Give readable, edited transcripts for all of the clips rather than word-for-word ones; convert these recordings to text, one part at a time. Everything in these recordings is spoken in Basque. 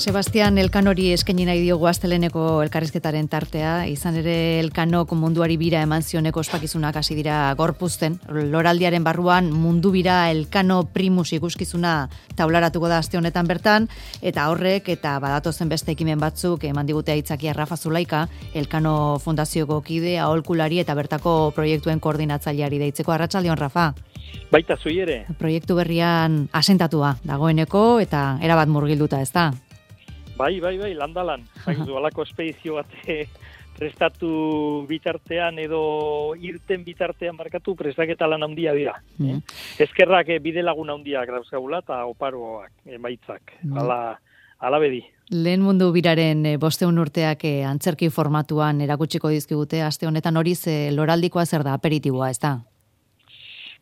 Sebastian Elkanori eskaini nahi diogu asteleneko elkarrizketaren tartea, izan ere Elkanok munduari bira eman zioneko ospakizunak hasi dira gorpuzten. Loraldiaren barruan mundu bira Elkano Primus ikuskizuna taularatuko da aste honetan bertan, eta horrek eta badatozen beste ekimen batzuk eman digute aitzakia Rafa Zulaika, Elkano Fundazioko kide, aholkulari eta bertako proiektuen koordinatzaileari deitzeko. Arratsaldeon, Rafa. Baita zui ere. Proiektu berrian asentatua dagoeneko eta erabat murgilduta, ezta? Bai, landalan. Zaizu, alako espedizio bat prestatu bitartean edo irten bitartean markatu prestaketa lan handia dira. Eskerrak bide lagun handiak dauzkagula eta oparoak emaitzak. Hala bedi. Lehen mundu biraren 500 urteak antzerki formatuan erakutsiko dizkigute aste honetan. Hori loraldikoa zer da, aperitiboa, ezta?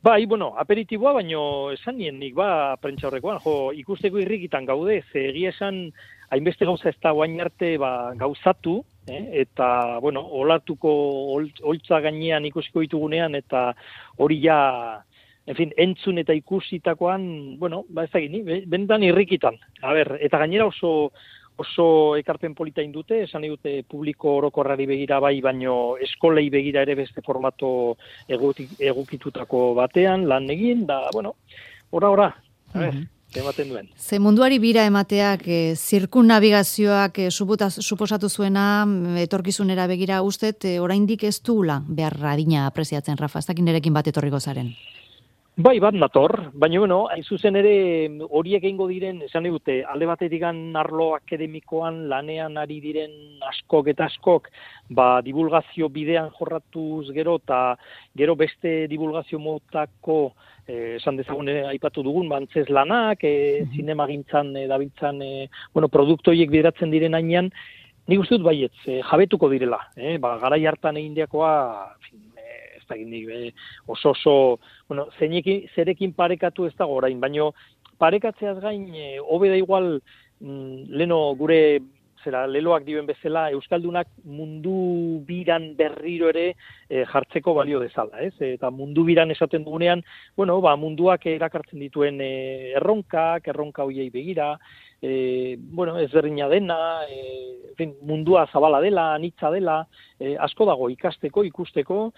Bai, aperitiboa, baino esan nien nik, prentsa horrekoan, ikusteko irrikitan gaude, egia esan hainbeste gauza ez da guain arte gauzatu, eta, olatuko holtza gainean ikusiko ditugunean, eta hori ja, entzun eta ikusitakoan, ez da gini, bendan irrikitan. Eta gainera oso ekarpen polita indute, esan dute publiko orokorrari begira bai, baino eskolei begira ere beste formato egokitutako batean, lan egin, da, ora, ematen duen. Ze munduari bira emateak, zirkunnabigazioak suposatu zuena, etorkizunera begira ustet, oraindik ez duela behar adina apreziatzen, Rafa, ez dakin nerekin bat etorriko zaren. Bai, bat nator, baina, hain zuzen ere horiek egingo diren, esan dute, alde batetik arlo akademikoan lanean ari diren askok eta askok, divulgazio bidean jorratuz gero, eta gero beste divulgazio motako, esan dezagun aipatu dugun, antzez lanak, zinemagintzan dabiltzan, produktu horiek bideratzen diren hainean, nik uste dut baietz, jabetuko direla, garai hartan egindiakoa, oso, zerekin parekatu ez dago orain, baino parekatzeaz gain, hobe da igual, leno gure, leloak dioen bezala, Euskaldunak mundu biran berriro ere jartzeko balio dezala, ez? Eta mundu biran esaten dugunean, munduak erakartzen dituen erronka hoiei begira, ezberdina dena, mundua zabala dela, anitza dela, asko dago ikasteko, ikusteko,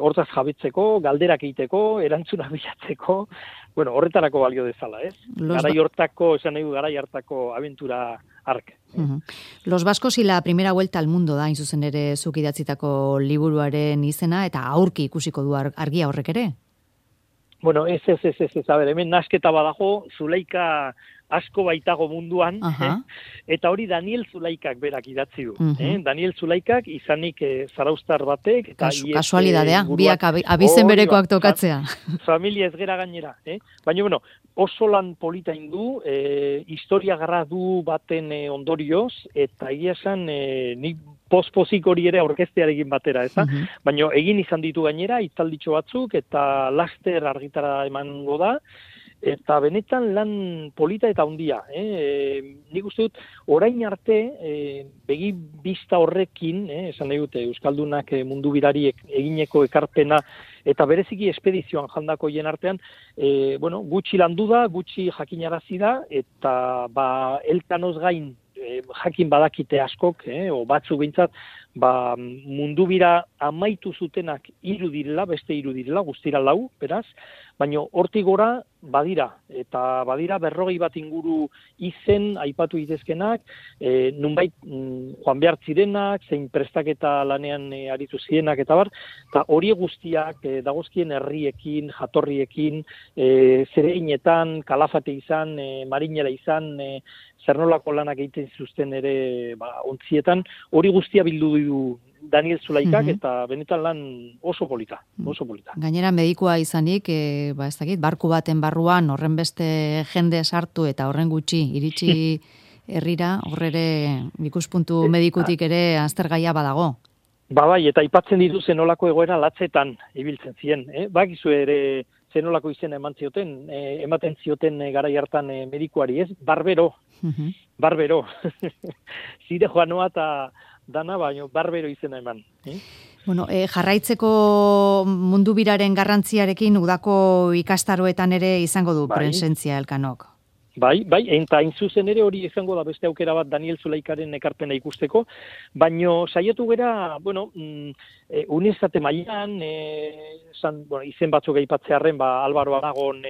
hortaz jabetzeko, galderak egiteko, erantzunak bilatzeko, horretarako balio dezala, ez? Garai hartako abentura ark. Los vascos y la primera vuelta al mundo da, zuzen ere zuk idatzitako liburuaren izena, eta aurki ikusiko du argia horrek ere? Ez, hemen nasketa badago, Zulaika asko baitago munduan, eta hori Daniel Zulaikak berak idatzi du. Daniel Zulaikak izanik zaraustar batek. Kasualidadea, biak abizen berekoak tokatzea. Familia ez gera gainera. Baina, oso lan polita indu, historia gradu baten ondorioz, eta egia esan nik pospozik hori ere aurkeztearekin batera, ez da? Baina egin izan ditu gainera, hitzalditxo batzuk, eta laster argitara emango da, eta benetan lan polita eta handia. Nik uste dut, orain arte, begi bista horrekin, esan nahi dute, Euskaldunak mundu birariek egineko ekarpena, eta bereziki espedizioan jandako hien artean, gutxi landu da, gutxi jakinarazi da, eta Elkanoz gain jakin badakite askok, o batzuk behintzat, mundu bira amaitu zutenak beste 3 direla, guztira 4, beraz, baina hortik gora badira, eta badira 40 bat inguru izen aipatu itezkenak, nunbait joan behar zirenak, zein prestaketa lanean aritu zirenak eta bar, eta hori guztiak dagozkien herriekin, jatorriekin, zereinetan, Kalafate izan, Marinera izan, zer nolako lanak egiten zuzten ere ontzietan, hori guztia bildu du Daniel Zulaikak, eta benetan lan oso polita. Gainera medikua izanik, ez dakit, barku baten barruan horren beste jende sartu eta horren gutxi iritsi herrira, horrere ikuspuntu medikutik ere aztergaia badago. Bai, eta aipatzen ditu zenolako egoera latzetan ibiltzen ziren. Bakizu ere zenolako izena ematen zioten garai hartan medikuari, ez? Barbero. Zire joanoa eta dana, baino barbero izena eman. Jarraitzeko mundu biraren garrantziarekin udako ikastaroetan ere izango du presentzia Elkanok. eta hain zuzen ere hori izango da beste aukera bat Daniel Zulaikaren ekarpena ikusteko, baino saiatu gera, unibertsitate mailan, izen batzuk aipatzearren, Álvaro Aragon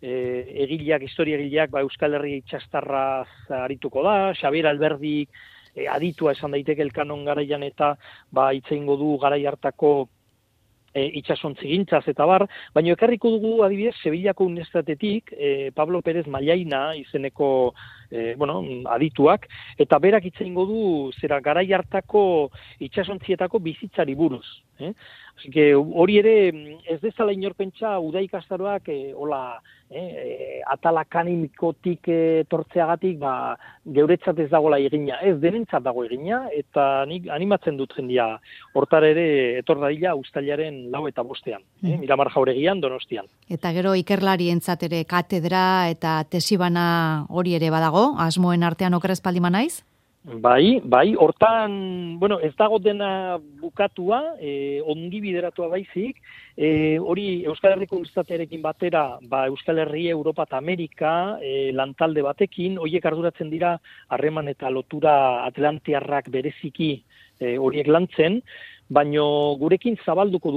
historia egileak, Euskal Herria itxastarraz arituko da, Xabier Alberdik aditua esan daiteke elkanon garaian eta hitz egingo du garai hartako itxasontzigintzaz eta bar, baina ekarriko dugu adibidez Sevillako unibertsitatetik Pablo Pérez Mallaina izeneko adituak, eta berak hitz egingo du garai hartako itxasontzietako bizitzari buruz. Así que hori ere ez dezala inor pentsa uda ikastaroak atala akademikotik tortzeagatik geuretzat ez dagoela egina, ez denentzat dago egina, eta nik animatzen dut jendia hortara ere etor dadila uztailaren 4 eta 5 Miramar Jauregian, Donostian. Eta gero ikerlarientzat ere katedra eta tesibana hori ere badago, asmoen artean okerrez paldiman naiz? Bai, hortan, ez dago dena bukatua, ongi bideratua baizik, hori Euskal Herriko Unibertsitatearekin batera, Euskal Herria, Europa eta Amerika, lantalde batekin, horiek arduratzen dira harreman eta lotura atlantiarrak bereziki horiek lantzen, baino gurekin zabalduko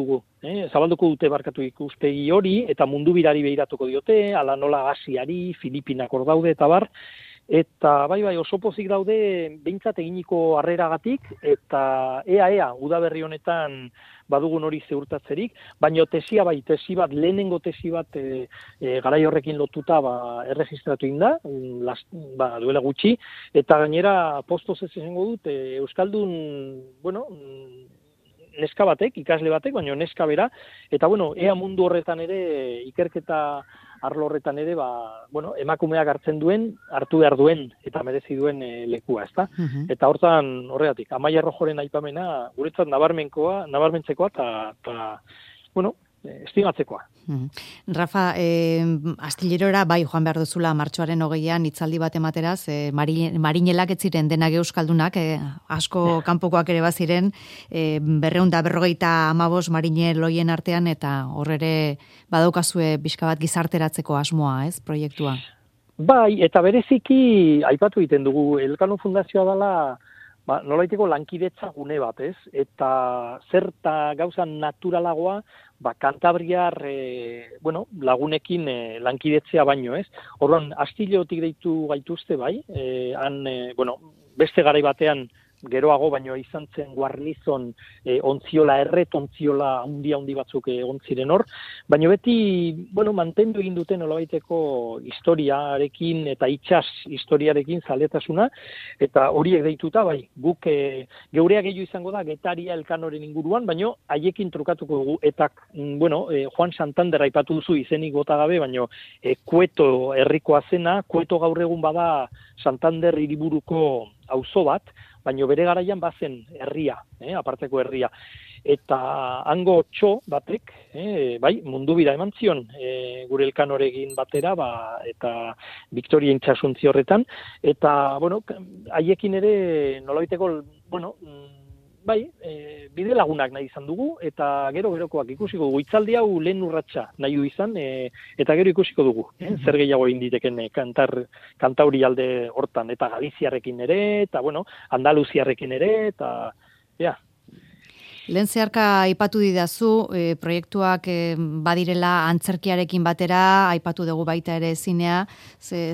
dute barkatu ikuspegi hori, eta mundu birari behiratuko diote, ala nola Asiari, Filipinak hor daude eta bar, eta oso pozik daude behintzat eginiko harreragatik, eta ea, udaberri honetan badugun hori ziurtatzerik, baina tesi bat, lehenengo tesi bat garai horrekin lotuta erregistratu inda, duela gutxi, eta gainera postoz ez esango dut, Euskaldun, neska batek, ikasle batek, baina neska bera, eta ea mundu horretan ere, ikerketa arlo horretan ere, emakumeak hartu behar duen, eta merezi duen lekua, ezta? Eta horregatik, Amaia Rojoren aipamena, guretzat nabarmentzekoa, eta estimatzekoa. Rafa, Astillerora joan behar duzula martxoaren 20an hitzaldi bat emateraz, marinelak ez ziren denak euskaldunak, asko kanpokoak ere baziren, 255 marinel hoien artean, eta horrere badaukazue pixka bat gizarteratzeko asmoa, ez, proiektua? Bai, eta bereziki aipatu egiten dugu, Elkano Fundazioa dela nolaiteko lankidetza gune bat, ez? Eta zerta gauza naturalagoa, Kantabriar lagunekin lankidetzea baino, ez? Orduan, Astillerotik deitu gaituzte, beste garai batean geroago, baino izan zen Guarnizon ontziola ontziola handi batzuk egon ziren hor, baino beti, mantendu egin duten nolabaiteko historiarekin eta itsas historiarekin zaletasuna, eta horiek deituta, guk geurea gehiago izango da Getaria Elkanoren inguruan, baino haiekin trukatuko dugu, eta, Juan Santander aipatu duzu izenik bota gabe, baino Kueto herrikoa zena, Kueto gaur egun bada Santander hiriburuko auzo bat, baina bere garaian bazen herria, aparteko herria. Eta hango txo batek, mundu bira eman zion, gure Elkanorekin batera, eta Victoria itxasuntzi horretan, eta, haiekin ere nolabaiteko, bide lagunak nahi izan dugu, eta gero-gerokoak ikusiko dugu. Hitzaldi hau lehen urratsa nahi du izan, eta gero ikusiko dugu. Zer gehiago egin diteken Kantauri alde hortan, eta Galiziarrekin ere, eta, Andaluziarrekin ere, eta, Lehen zeharka aipatu didazu, proiektuak badirela antzerkiarekin batera, aipatu dugu baita ere zinea,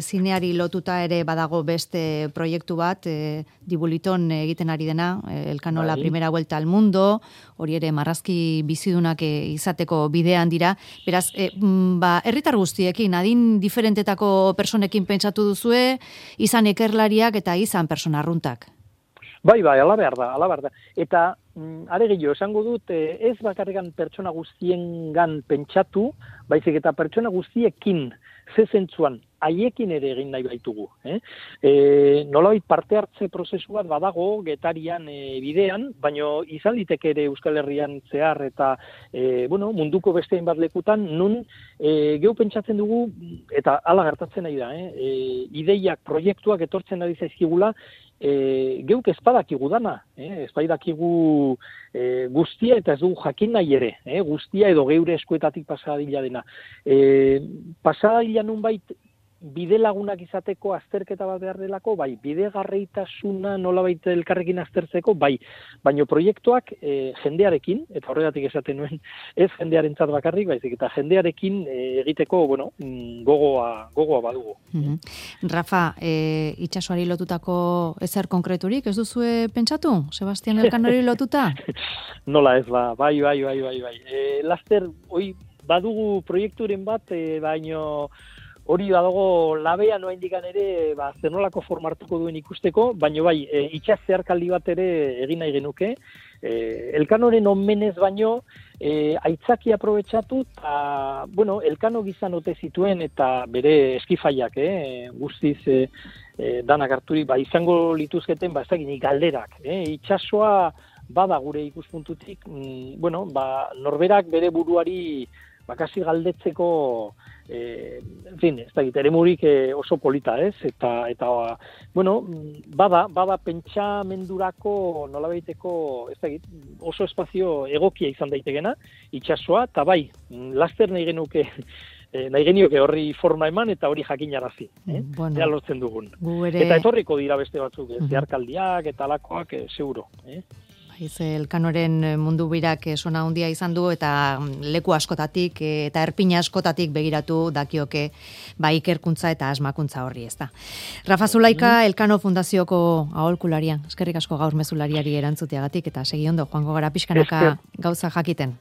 zineari lotuta ere badago beste proiektu bat, Dibuliton egiten ari dena, Elkano la primera vuelta al mundo, hori ere marrazki bizidunak izateko bidean dira. Beraz, herritar guztiekin, adin diferentetako personekin pentsatu duzue, izan ikerlariak eta izan persona arruntak. Bai, ala behar da. Eta, are gehiago, esango dut, ez bakarrikan pertsona guztiengan pentsatu, baizik eta pertsona guztiekin, ze zentzuan, haiekin ere egin nahi baitugu. Nolabait parte hartze prozesu bat badago, Getarian bidean, baino izan liteke ere Euskal Herrian zehar eta munduko beste hainbat lekutan, nun geu pentsatzen dugu, eta hala gertatzen nahi da, ideiak, proiektuak etortzen ari zaizkigula, geuk ezpadakigu dana, ezpadakigu guztia eta ez dugu jakin nahi ere, guztia edo geure eskuetatik pasadila dena. Pasadila nunbait bide lagunak izateko azterketa bat behar delako, bai, bidegarreitasuna nolabait elkarrekin aztertzeko, bai, baino proiektuak jendearekin, eta horregatik esaten nuen, ez jendearentzat bakarrik, baizik, eta jendearekin egiteko, bueno, gogoa badugu. Rafa, itsasoari lotutako ezer konkreturik, ez duzue pentsatu? Sebastian Elkanori lotuta? Nola ez, bai. Laster, badugu proiekturen bat, baino hori badago labea noa indikan ere, zenolako formartuko duen ikusteko, baino bai, itxas zeharkaldi bat ere egin nahi genuke, Elkanoren onmenez baino, aitzaki aprobetxatu, eta, bueno, Elkano gizan ote zituen, eta bere eskifaiak, guztiz danak harturik, izango lituzketen, ez dakit, galderak, itxasoa bada gure ikuspuntutik, bueno, norberak bere buruari bakasi galdetzeko, en fin, ez dakit, eremurik oso polita, ez? Eta bueno, bada pentsamendurako nolabaiteko, ez dakit, oso espazio egokia izan daitekena, itsasoa, eta bai, laster nahi genioke horri forma eman eta hori jakinarazi, Bueno, ja lortzen dugun. Eta etorriko dira beste batzuk, zeharkaldiak eta alakoak, seguro, Elkanoren mundu birak sona handia izan du eta leku askotatik eta erpina askotatik begiratu dakioke ikerkuntza eta asmakuntza horri, ezta. Rafa Zulaika, Elkano Fundazioko aholkularia, eskerrik asko gaur mezulariari erantzuteagatik eta segi ondo joango gara pixkanaka gauza jakiten.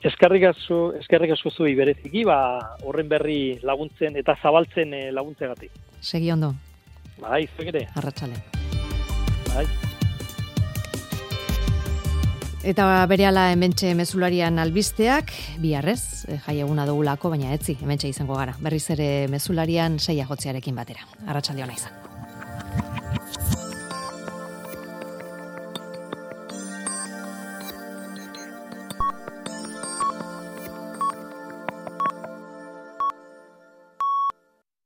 Eskerrik asko zui bereziki, horren berri laguntzen eta zabaltzen laguntzegatik. Segi ondo. Bai, zuek ere. Arratsale. Bai. Eta berehala hementxe mezularian albisteak, biharrez, jaieguna dugulako, baina etzi, hementxe izango gara. Berriz ere mezularian 6 jotzearekin batera. Arratsalde ona izan.